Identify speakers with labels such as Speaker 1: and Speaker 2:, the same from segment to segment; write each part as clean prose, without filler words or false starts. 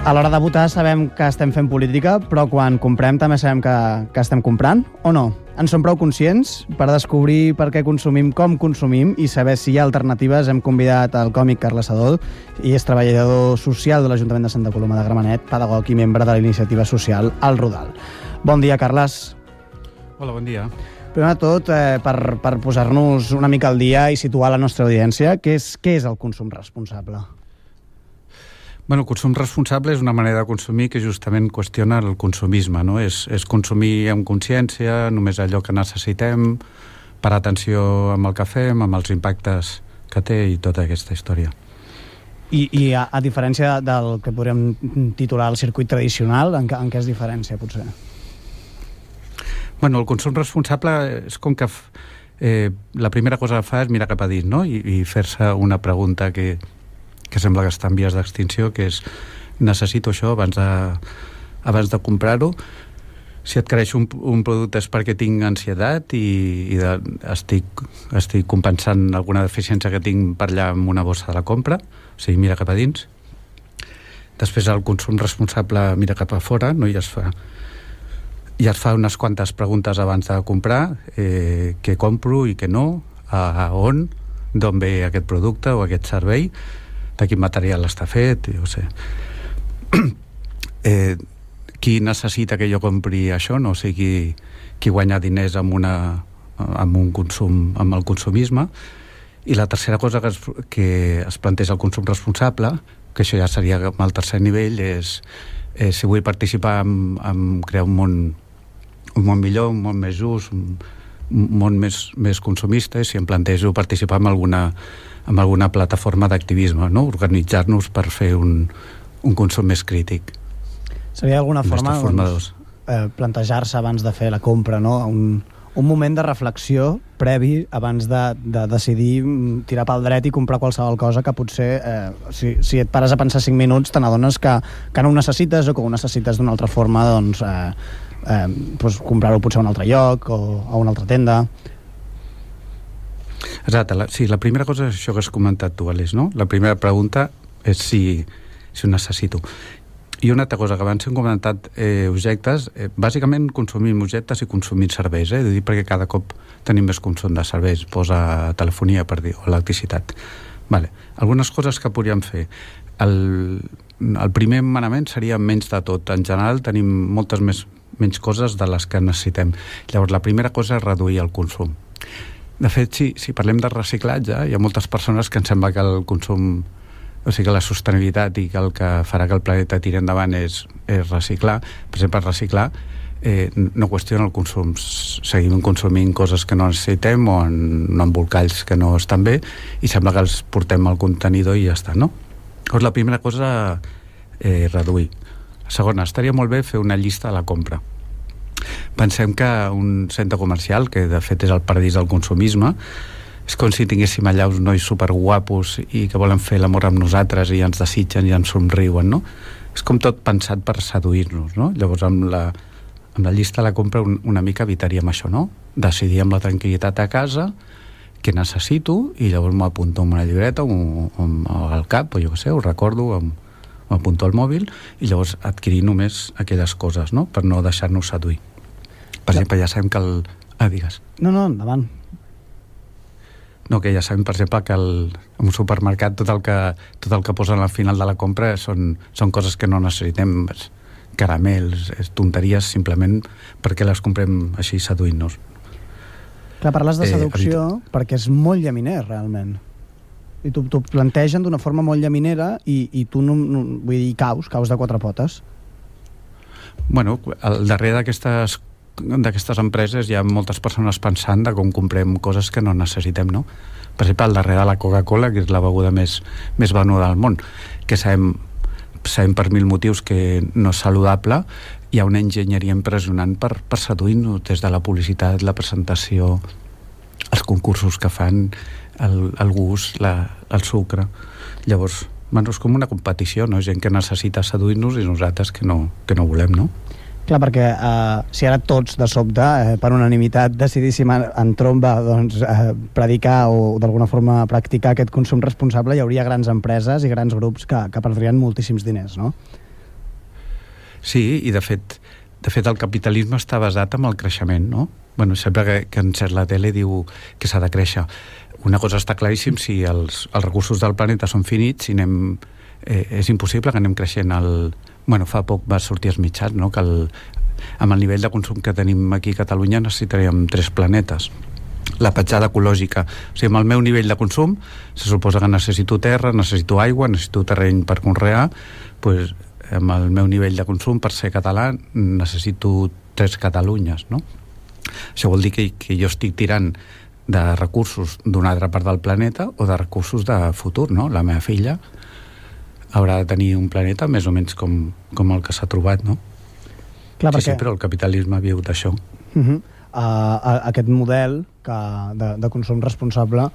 Speaker 1: A l'hora de votar sabem que estem fent política, però quan comprem també sabem que estem comprant, o no? En som prou conscients per descobrir per què consumim, com consumim i saber si hi ha alternatives. Hem convidat el còmic Carles Adó, i és treballador social de l'Ajuntament de Santa Coloma de Gramenet, pedagog i membre de la iniciativa social El Rodal. Bon dia, Carles.
Speaker 2: Hola, bon dia.
Speaker 1: Primer de tot, per posar-nos una mica al dia i situar la nostra audiència, què és el consum responsable?
Speaker 2: Bueno, el consum responsable és una manera de consumir que justament qüestiona el consumisme, no? És consumir amb consciència, només allò que necessitem, parar atenció amb el que fem, amb els impactes que té i tota aquesta història.
Speaker 1: I a diferència del que podríem titular el circuit tradicional, en què es diferència, potser?
Speaker 2: Bueno, el consum responsable és com que la primera cosa que fa és mirar cap a dins, no? I fer-se una pregunta que sembla que està en vies d'extinció, que és: necessito això abans de comprar-ho? Si adquireix un producte és perquè tinc ansietat i estic compensant alguna deficiència que tinc per allà amb una bossa de la compra, o sigui, mira cap a dins. Després el consum responsable mira cap a fora, no? I es fa unes quantes preguntes abans de comprar, què compro i què no, a on, d'on ve aquest producte o aquest servei, de quin material està fet, jo sé. Qui necessita que jo compri això, no? O sigui, qui guanya diners amb un consum, amb el consumisme. I la tercera cosa que es planteja el consum responsable, que això ja seria el tercer nivell, és si vull participar en crear un món millor, un món més just, un món més consumista, i si em plantejo participar en alguna plataforma d'activisme, no? Organitzar-nos per fer un consum més crític.
Speaker 1: Seria d'alguna forma plantejar-se abans de fer la compra, no? Un moment de reflexió previ abans de decidir tirar pel dret i comprar qualsevol cosa que potser, si et pares a pensar 5 minuts, te n'adones que no ho necessites, o que ho necessites d'una altra forma, doncs comprar-ho potser a un altre lloc o a una altra tenda.
Speaker 2: Exacte, sí, la primera cosa és això que has comentat tu, Aleix, no? La primera pregunta és si ho necessito. I una altra cosa, que abans hem comentat objectes, bàsicament consumim objectes i consumim serveis, perquè cada cop tenim més consum de serveis, posa telefonia, per dir, o electricitat. Vale. Algunes coses que podríem fer. El primer manament seria menys de tot. En general tenim moltes menys coses de les que necessitem. Llavors, la primera cosa és reduir el consum. De fet, si parlem de reciclatge, hi ha moltes persones que ens sembla que el consum, o sigui, que la sostenibilitat i que el que farà que el planeta tiri endavant és reciclar. Per exemple, reciclar no qüestiona el consum. Seguim consumint coses que no necessitem o en embolcalls que no estan bé, i sembla que els portem al contenidor i ja està, no? Llavors, la primera cosa, reduir. La segona, estaria molt bé fer una llista de la compra. Pensem que un centre comercial, que de fet és el paradís del consumisme, és com si tinguéssim allà uns nois superguapos i que volen fer l'amor amb nosaltres i ens desitgen i ens somriuen, no? És com tot pensat per seduir-nos, no? Llavors, amb la llista de la compra una mica evitaríem això, no? Decidir amb la tranquil·litat a casa què necessito, i llavors m'ho apunto en una llibreta o al cap, o jo què sé, ho recordo, m'apunto al mòbil, i llavors adquirir només aquelles coses, no? Per no deixar-nos seduir. Per exemple, ja sabem que digues.
Speaker 1: No, endavant.
Speaker 2: No, que ja sabem, per exemple, que en un supermercat tot el que posen al final de la compra són coses que no necessitem, caramels, tonteries, simplement perquè les comprem així seduint-nos.
Speaker 1: Clar, parles de seducció perquè és molt llaminer, realment. I t'ho plantegen d'una forma molt llaminera i tu, vull dir, caus de 4 potes.
Speaker 2: Bueno, al darrere d'aquestes empreses hi ha moltes persones pensant de com comprem coses que no necessitem, no? Per exemple, al darrere de la Coca-Cola, que és la beguda més venuda del món, que sabem per 1000 motius que no és saludable, hi ha una enginyeria impressionant per seduir-nos, des de la publicitat, la presentació, els concursos que fan, el gust, el sucre. Llavors, és com una competició, no? Gent que necessita seduir-nos i nosaltres que no volem, no?
Speaker 1: Clar, perquè si ara tots de sobte, per unanimitat, decidíssim en tromba predicar o d'alguna forma practicar aquest consum responsable, hi hauria grans empreses i grans grups que perdrien moltíssims diners, no?
Speaker 2: Sí, i de fet el capitalisme està basat en el creixement, no? Bueno, sempre que encès la tele diu que s'ha de créixer. Una cosa està claríssim, si els recursos del planeta són finits, si és impossible que anem creixent fa poc va sortir als mitjans, no? Que amb el nivell de consum que tenim aquí a Catalunya necessitaríem 3 planetes. La petjada ecològica, o sigui, amb el meu nivell de consum se suposa que necessito terra, necessito aigua, necessito terreny per conrear, doncs amb el meu nivell de consum per ser català necessito 3 Catalunyes, no? Això vol dir que jo estic tirant de recursos d'una altra part del planeta o de recursos de futur, no? La meva filla haurà de tenir un planeta més o menys com el que s'ha trobat, no?
Speaker 1: Clar,
Speaker 2: sí, però el capitalisme viu d'això.
Speaker 1: Aquest model de consum responsable,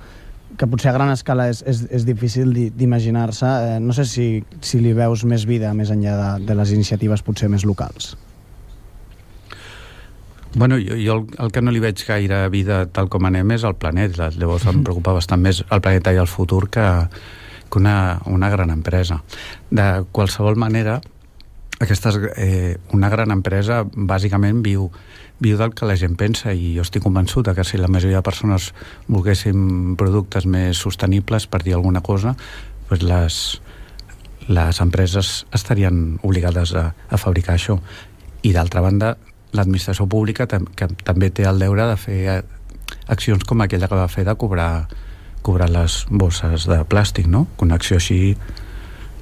Speaker 1: que potser a gran escala és difícil d'imaginar-se, no sé si li veus més vida més enllà de les iniciatives potser més locals.
Speaker 2: Bueno, jo el que no li veig gaire vida tal com anem és el planeta. Llavors em preocupa bastant més el planeta i el futur que una gran empresa. De qualsevol manera, una gran empresa bàsicament viu del que la gent pensa, i jo estic convençut que si la majoria de persones volguéssim productes més sostenibles, per dir alguna cosa, doncs les empreses estarien obligades a fabricar això. I d'altra banda, l'administració pública que també té el deure de fer accions com aquella que va fer de cobrar les bosses de plàstic, no? Una acció així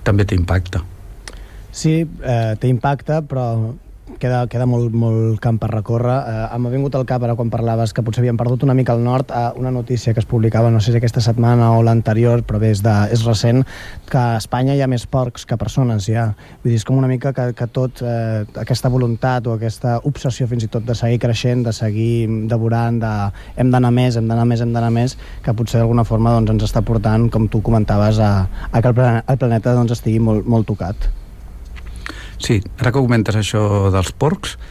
Speaker 2: també té impacte.
Speaker 1: Sí, té impacte, però queda molt camp per recórrer. M'ha vingut al cap, ara quan parlaves, que potser havíem perdut una mica al nord, una notícia que es publicava, no sé si aquesta setmana o l'anterior, però bé, és recent, que a Espanya hi ha més porcs que persones, ja. Vull dir, és com una mica que tot, aquesta voluntat o aquesta obsessió fins i tot de seguir creixent, de seguir devorant, hem d'anar més, que potser d'alguna forma ens està portant, com tu comentaves, a que el planeta estigui molt tocat.
Speaker 2: Sí, ara que comentes això dels porcs,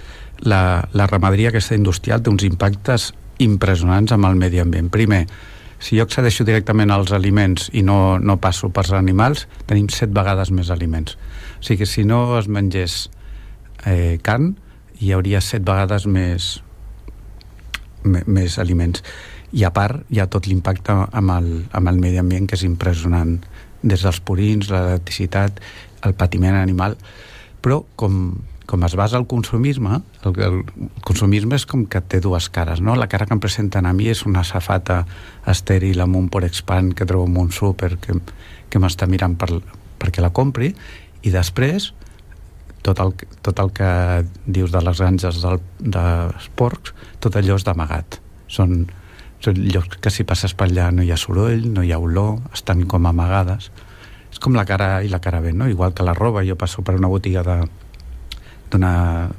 Speaker 2: la ramaderia aquesta industrial té uns impactes impressionants amb el medi ambient. Primer, si jo accedeixo directament als aliments i no passo pels animals, tenim 7 vegades més aliments. O sigui que si no es mengés carn, hi hauria 7 vegades més aliments. I a part hi ha tot l'impacte amb el medi ambient, que és impressionant, des dels purins, l'electricitat, el patiment animal. Però com es basa el consumisme, el consumisme és com que té 2 cares, no? La cara que em presenten a mi és una safata estèril amb un Porexpan que trobo en un súper que m'està mirant perquè la compri, i després tot el que dius de les granges dels porcs, tot allò és d'amagat. Són llocs que si passes per allà no hi ha soroll, no hi ha olor, estan com amagades. És com la cara i la cara B, no? Igual que la roba, jo passo per una botiga d'una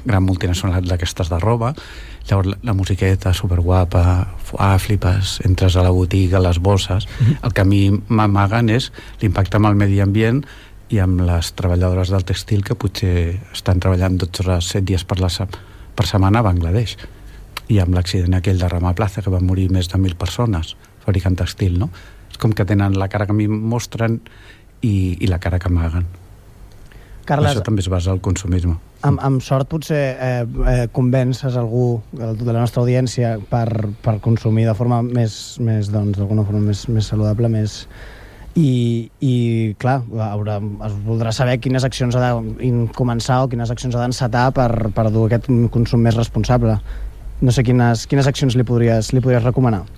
Speaker 2: gran multinacional d'aquestes de roba, llavors la musiqueta superguapa, flipes, entres a la botiga, les bosses. El que a mi m'amaguen és l'impacte amb el medi ambient i amb les treballadores del textil que potser estan treballant 12 hores, 7 dies per setmana a Bangladesh, i amb l'accident aquell de Rama Plaza, que van morir més de 1.000 persones fabricant textil, no? Com que tenen la cara que a mi mostren i la cara que amaguen.
Speaker 1: Carles,
Speaker 2: això també es basa al consumisme.
Speaker 1: Amb sort potser convences algú de la nostra audiència per consumir de forma més d'alguna forma més saludable, i clar, es voldrà saber quines accions ha de començar o quines accions ha d'encetar per dur aquest consum més responsable. No sé quines accions li podries recomanar.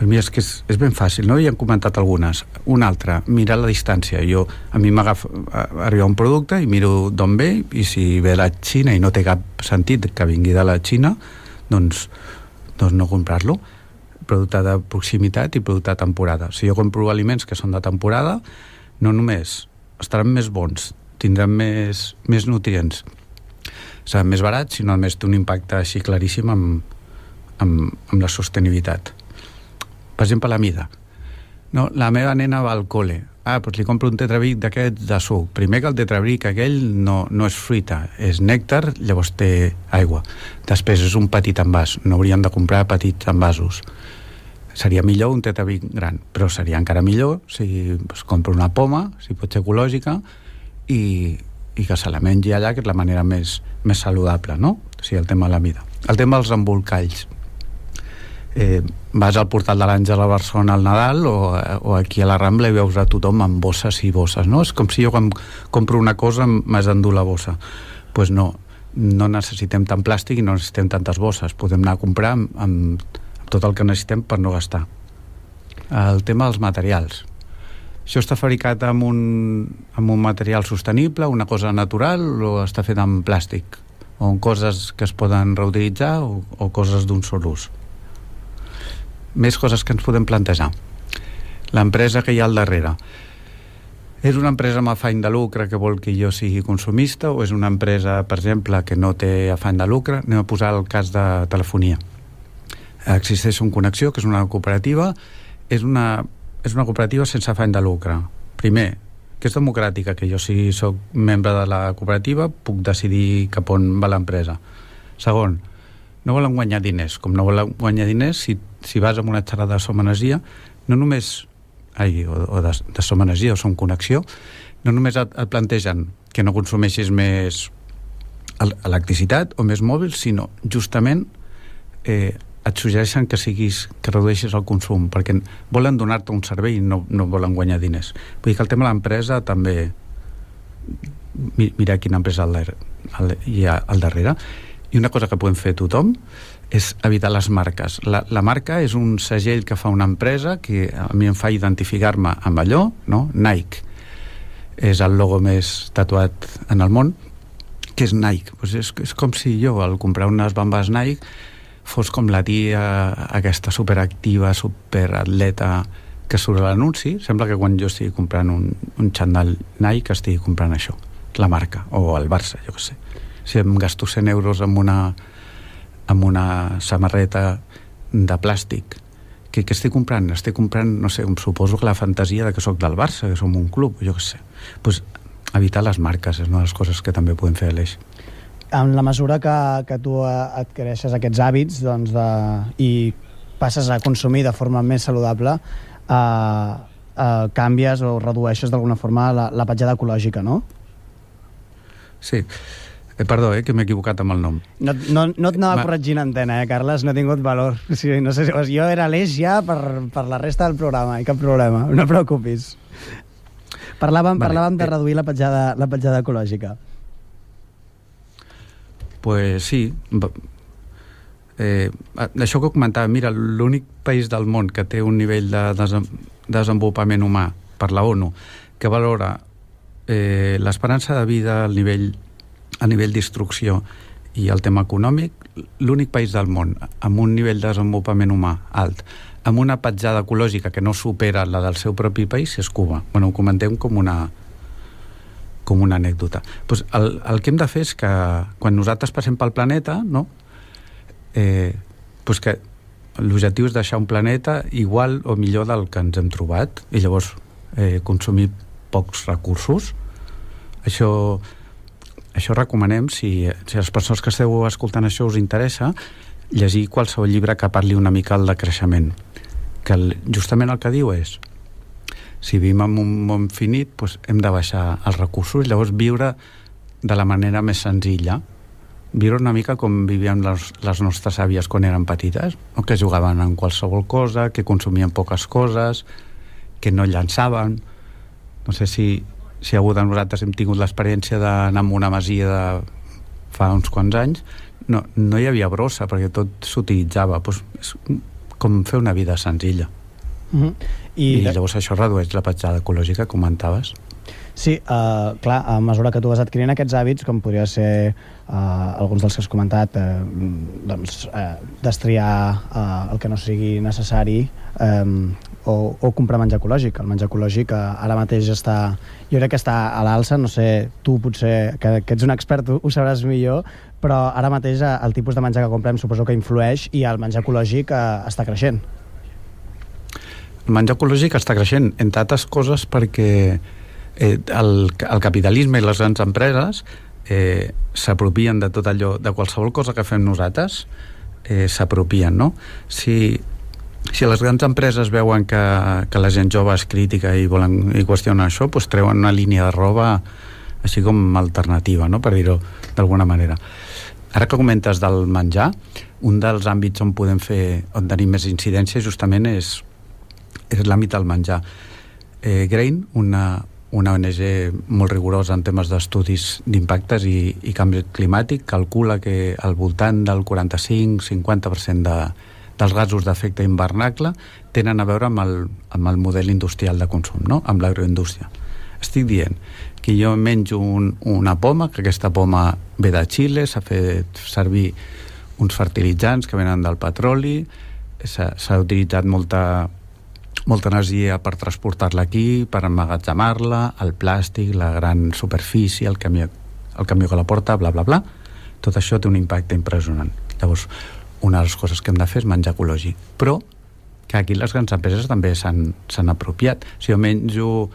Speaker 2: Per mi és que és ben fàcil, no? Ja hem comentat algunes. Una altra, mirar la distància. A mi m'agafa arribar un producte i miro d'on ve, i si ve de la Xina i no té cap sentit que vingui de la Xina, doncs no comprar-lo. Producte de proximitat i producte de temporada. Si jo compro aliments que són de temporada, no només estaran més bons, tindran més nutrients, seran més barats, sinó a més té un impacte així claríssim amb la sostenibilitat. Per exemple, la mida. No, la meva nena va al col·le. Doncs li compro un tetrabric d'aquests de suc. Primer que el tetrabric aquell no és fruita, és nèctar, llavors té aigua. Després és un petit envàs. No hauríem de comprar petits envasos. Seria millor un tetrabric gran, però seria encara millor si compro una poma, si pot ser ecològica, i i que se la mengi allà, que és la manera més saludable, no? O sigui, el tema de la mida. El tema dels embolcalls. Vas al portal de l'Àngel a Barcelona al Nadal o aquí a la Rambla i veus a tothom amb bosses i bosses, no? És com si jo quan compro una cosa m'has d'endur la bossa. Pues no necessitem tant plàstic i no necessitem tantes bosses. Podem anar a comprar amb tot el que necessitem per no gastar. El tema dels materials. Això està fabricat amb un material sostenible, una cosa natural, o està fet amb plàstic? O amb coses que es poden reutilitzar o coses d'un sol ús? Més coses que ens podem plantejar. L'empresa que hi ha al darrere. És una empresa amb afany de lucre que vol que jo sigui consumista, o és una empresa, per exemple, que no té afany de lucre? Anem a posar el cas de telefonia. Existeix un Connexió, que és una cooperativa. És una cooperativa sense afany de lucre. Primer, que és democràtica, que jo si soc membre de la cooperativa puc decidir cap on va l'empresa. Segon, no volen guanyar diners. Com no volen guanyar diners, si vas amb una xerrada de Som Energia, no només o de Som Energia o Som Connexió, no només et plantegen que no consumeixis més electricitat o més mòbil, sinó justament et suggereixen que redueixis el consum, perquè volen donar-te un servei i no volen guanyar diners. Vull dir que el tema de l'empresa també, mira quina empresa hi ha al darrere. I una cosa que podem fer tothom és evitar les marques. La marca és un segell que fa una empresa que a mi em fa identificar-me amb allò, no? Nike és el logo més tatuat en el món. Què és Nike? Pues és com si jo, al comprar unes bambes Nike, fos com la tia aquesta superactiva, superatleta que surt a l'anunci. Sembla que quan jo estigui comprant un xandall Nike estigui comprant això, la marca, o el Barça, jo què sé. Si em gasto 100 euros amb una samarreta de plàstic, què estic comprant? Estic comprant, no sé, suposo que la fantasia de que sóc del Barça, que som un club, jo què sé. Pues evitar les marques és una de les coses que també podem fer a l'Eix.
Speaker 1: En la mesura que tu adquireixes aquests hàbits, doncs, i passes a consumir de forma més saludable, canvies o redueixes d'alguna forma la petjada ecològica, no?
Speaker 2: Sí. Perdó, que m'he equivocat amb el nom.
Speaker 1: No et anava corregint antena, Carles, no he tingut valor. Sí, no sé, jo era l'Eix ja per la resta del programa, i cap problema, no et preocupis. Parlàvem de reduir la petjada ecològica.
Speaker 2: Pues sí. Això que comentava, mira, l'únic país del món que té un nivell de desenvolupament humà per la ONU que valora l'esperança de vida, a nivell d'instrucció i el tema econòmic, l'únic país del món amb un nivell de desenvolupament humà alt, amb una petjada ecològica que no supera la del seu propi país, és Cuba. Bueno, ho comentem com una anècdota. Pues el que hem de fer és que quan nosaltres passem pel planeta, no? Pues que l'objectiu és deixar un planeta igual o millor del que ens hem trobat, i llavors consumir pocs recursos. Això recomanem, si les persones que esteu escoltant això us interessa, llegir qualsevol llibre que parli una mica del decreixement, que justament el que diu és, si vivim en un món finit, doncs hem de baixar els recursos, llavors viure de la manera més senzilla, viure una mica com vivien les nostres àvies quan eren petites, no? Que jugaven en qualsevol cosa, que consumien poques coses, que no llançaven. No sé si algú de nosaltres hem tingut l'experiència d'anar a una masia de fa uns quants anys, no hi havia brossa perquè tot s'utilitzava. Doncs és com fer una vida senzilla. I llavors això redueix la petjada ecològica, comentaves.
Speaker 1: Sí, clar, a mesura que tu vas adquirint aquests hàbits, com podria ser alguns dels que has comentat, destriar el que no sigui necessari, o comprar menjar ecològic. El menjar ecològic ara mateix jo crec que està a l'alça, no sé, tu potser, que ets un expert, ho sabràs millor, però ara mateix el tipus de menjar que comprem suposo que influeix, i el menjar ecològic està creixent.
Speaker 2: El menjar ecològic està creixent, entre altres coses perquè el capitalisme i les grans empreses s'apropien de tot allò, de qualsevol cosa que fem nosaltres, s'apropien, no? Si les grans empreses veuen que la gent jove és crítica i qüestionen això, doncs treuen una línia de roba així com alternativa, no? Per dir-ho d'alguna manera. Ara que comentes del menjar, un dels àmbits on tenim més incidència justament és l'àmbit del menjar. Grain, una ONG molt rigorosa en temes d'estudis d'impactes i canvi climàtic, calcula que al voltant del 45-50% dels gasos d'efecte hivernacle tenen a veure amb el model industrial de consum, no? Amb l'agroindústria. Estic dient que jo menjo una poma, que aquesta poma ve de Xile, s'ha fet servir uns fertilitzants que venen del petroli, s'ha utilitzat molta energia per transportar-la aquí, per emmagatzemar-la, el plàstic, la gran superfície, el camió que la porta, bla, bla, bla. Tot això té un impacte impressionant. Llavors, una de les coses que hem de fer és menjar ecològic. Però que aquí les grans empreses també s'han apropiat. Si jo menjo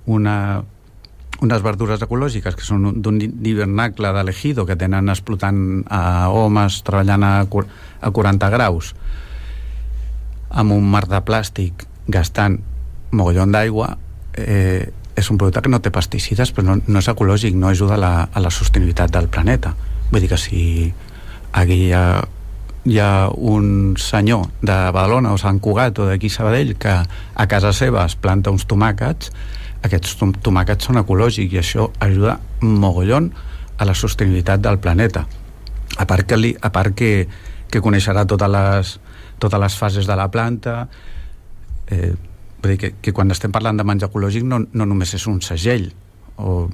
Speaker 2: unes verdures ecològiques que són d'un hivernacle de l'Ejido, que tenen explotant a homes treballant a 40 graus, amb un mar de plàstic, gastant mogollon d'aigua, és un producte que no té pesticides, però no és ecològic, no ajuda a la sostenibilitat del planeta. Vull dir que si aquí hi ha un senyor de Badalona o Sant Cugat o d'aquí Sabadell que a casa seva es planta uns tomàquets, aquests tomàquets són ecològics i això ajuda mogollon a la sostenibilitat del planeta. A part que coneixerà totes les fases de la planta. Vull dir que quan estem parlant de menjar ecològic no només és un segell o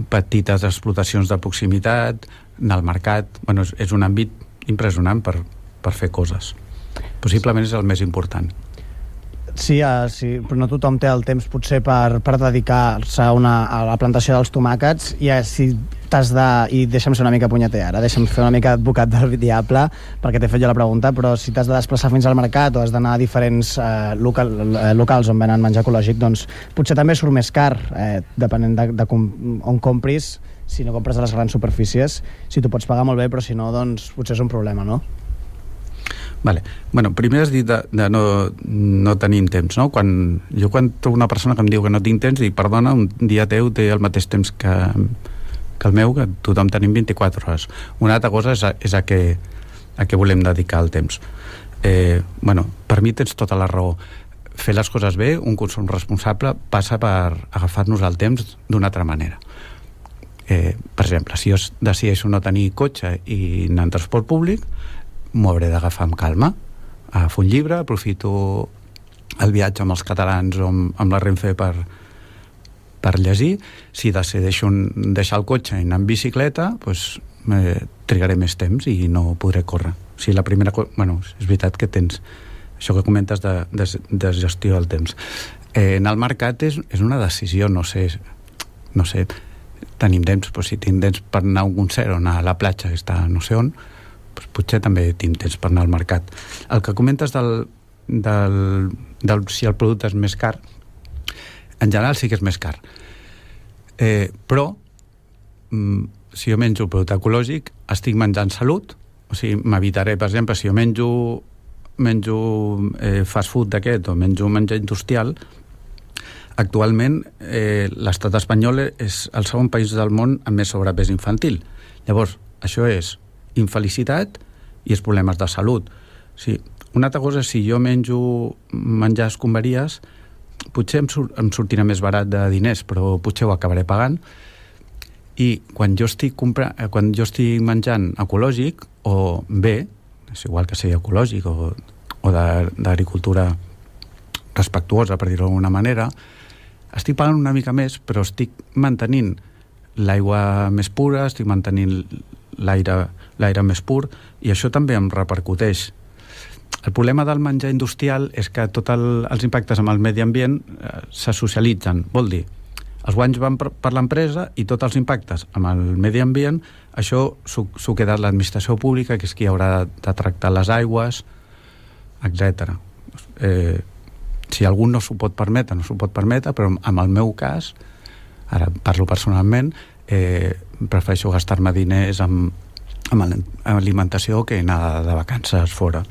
Speaker 2: petites explotacions de proximitat, anar al mercat. Bueno, és un àmbit impressionant per fer coses. Possiblement és el més important.
Speaker 1: Sí, però no tothom té el temps potser per dedicar-se a la plantació dels tomàquets, i si t'has de... I deixa'm ser una mica punyeter ara, deixa'm fer una mica advocat del diable, perquè t'he fet jo la pregunta, però si t'has de desplaçar fins al mercat o has d'anar a diferents locals on venen menjar ecològic, doncs potser també surt més car, depenent de on compris. Si no compres a les grans superfícies, si t'ho pots pagar molt bé, però si no, doncs potser és un problema, no?
Speaker 2: Vale. Bueno, primer has dit de no tenim temps, no? Quan trobo una persona que em diu que no tinc temps, dic, perdona, un dia teu té el mateix temps que el meu, que tothom tenim 24 hores. Una altra cosa és a què volem dedicar el temps. Bueno, per mi tens tota la raó. Fer les coses bé, un consum responsable, passa per agafar-nos el temps d'una altra manera. Per exemple, si jo decideixo no tenir cotxe i anar en transport públic, m'ho hauré d'agafar amb calma. Agafo un llibre, aprofito el viatge amb els catalans o amb la Renfe per llegir. Si decideixo deixar el cotxe i anar en bicicleta, doncs trigaré més temps i no podré córrer. O sigui, la primera cosa... Bueno, és veritat que tens això que comentes de gestió del temps. Anar al mercat és una decisió, no sé, tenim temps, doncs si tinc temps per anar a un concert o anar a la platja que està no sé on, doncs potser també tinc temps per anar al mercat. El que comentes si el producte és més car, en general sí que és més car. Però si jo menjo un producte ecològic, estic menjant salut. O sigui, m'evitaré, per exemple, si jo menjo fast food d'aquest o menjo menjar industrial, actualment l'estat espanyol és el segon país del món amb més sobrepès infantil. Llavors, això és infelicitat i els problemes de salut. Sí. Una altra cosa és si jo menjo menjar escombraries, potser em sortirà més barat de diners, però potser ho acabaré pagant. I quan jo estic menjant ecològic, o bé, és igual que sigui ecològic o d'agricultura respectuosa, per dir-ho d'alguna manera, estic pagant una mica més, però estic mantenint l'aigua més pura, estic mantenint l'aire més pur, i això també em repercuteix. El problema del menjar industrial és que tots els impactes amb el medi ambient se socialitzen. Vol dir, els guanys van per l'empresa i tots els impactes amb el medi ambient, això s'ho queda l'administració pública, que és qui haurà de tractar les aigües, etc. Si algú no s'ho pot permetre, però en el meu cas, ara parlo personalment, prefereixo gastar-me diners amb alimentació que anar de vacances fora.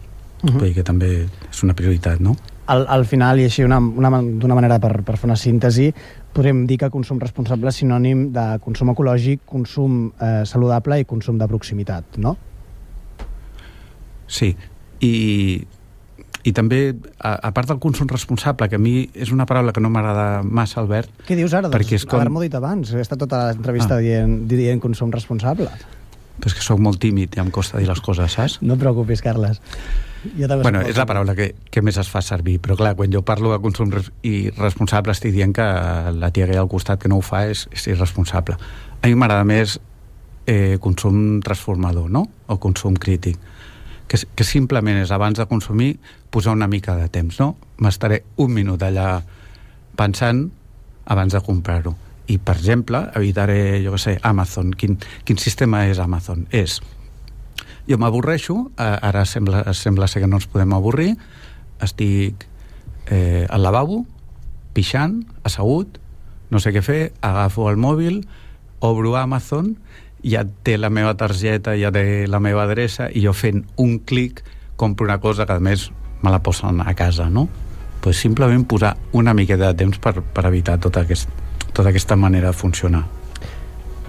Speaker 2: Vull dir que també és una prioritat, no?
Speaker 1: Al final, i així d'una manera per fer una síntesi, podríem dir que consum responsable és sinònim de consum ecològic, consum saludable i consum de proximitat, no?
Speaker 2: Sí, i també, a part del consum responsable, que a mi és una paraula que no m'agrada massa, Albert...
Speaker 1: Què dius ara? Doncs haver-m'ho dit abans. He estat tota l'entrevista dient consum responsable.
Speaker 2: Però és que sóc molt tímid i em costa dir les coses, saps?
Speaker 1: No et preocupis, Carles.
Speaker 2: Bueno, és la paraula que més es fa servir, però clar, quan jo parlo de consum responsable estic dient que la tia que hi ha al costat que no ho fa és irresponsable. A mi m'agrada més consum transformador, no? O consum crític. Que simplement és, abans de consumir, posar una mica de temps, no? M'estaré un minut allà pensant abans de comprar-ho. I, per exemple, evitaré, jo què sé, Amazon. Quin sistema és Amazon? Jo m'avorreixo, ara sembla ser que no ens podem avorrir, estic al lavabo, pixant, assegut, no sé què fer, agafo el mòbil, obro Amazon, ja té la meva targeta, ja té la meva adreça, i jo fent un clic compro una cosa que a més me la posen a casa, no? Pues simplement posar una miqueta de temps per evitar tota aquesta manera de funcionar.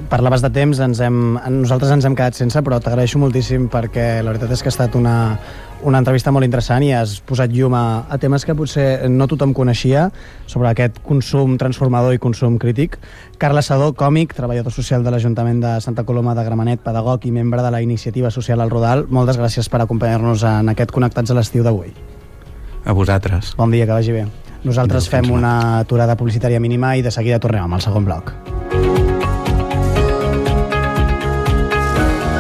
Speaker 1: Parlaves de temps, nosaltres ens hem quedat sense, però t'agraeixo moltíssim perquè la veritat és que ha estat una entrevista molt interessant i has posat llum a temes que potser no tothom coneixia sobre aquest consum transformador i consum crític. Carles Sedó, còmic, treballador social de l'Ajuntament de Santa Coloma de Gramenet, pedagog i membre de la iniciativa social El Rodal, moltes gràcies per acompanyar-nos en aquest Connectats a l'estiu d'avui.
Speaker 2: A vosaltres.
Speaker 1: Bon dia, que vagi bé. Nosaltres fem una aturada publicitària mínima i de seguida tornem amb el segon bloc.